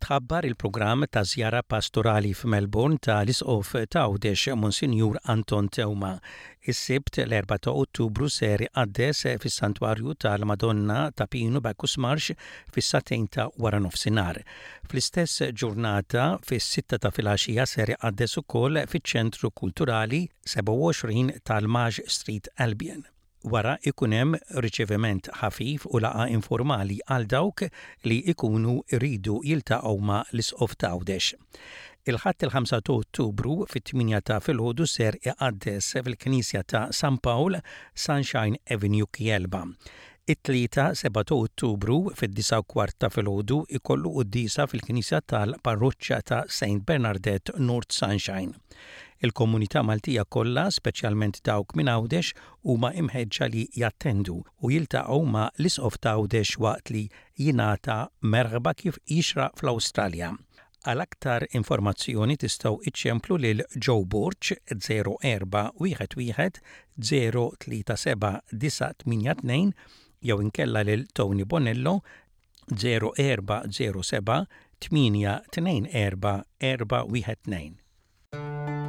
Tħabbar il-programm ta' żjara pastorali f'Melbourne ta' l-Isqof t'Għawdex Monsinjur Anton Teuma. Is-Sibt l-4 ta' Ottubru ser iqaddes fis-Santwarju tal-Madonna ta' Pinu Bacchus Marsh fis-sagħtejn ta' waranofsinhar. Fl-istess ġurnata fis-sitta ta' filgħaxija ser iqaddes ukoll fiċ-Ċentru Kulturali 27 tal-Maj Street Albion. Wara ikun hemm riċeviment ħafif u laqgħa informali għal dawk li jkunu jridu jiltaqgħu ma' l-Isqof t'Għawdex. Il-Ħadd il-5 ta' Ottubru fit-tmienja ta' filgħodu ser iqaddes fil-Knisja ta' San Pawl, Sunshine Avenue Kielba. It-Tlieta 7 ta' Ottubru fid-disgħa u kwart ta' filgħodu jkollu quddiesa fil-Knisja tal-Parroċċa ta' Saint Bernardette North Sunshine. Il-komunità Maltija kollha, speċjalment dawk minn Għawdex, huma imħeġġa li jattendu u jiltaqgħu ma' l-Isqof t'Għawdex waqt li jingħata merħba kif jixraq fl-Awstralja. Għal aktar informazzjoni tistgħu iċċemplu lil Joe Borg 0411 037 982 jew inkella lil Tony Bonello 0407 824 412.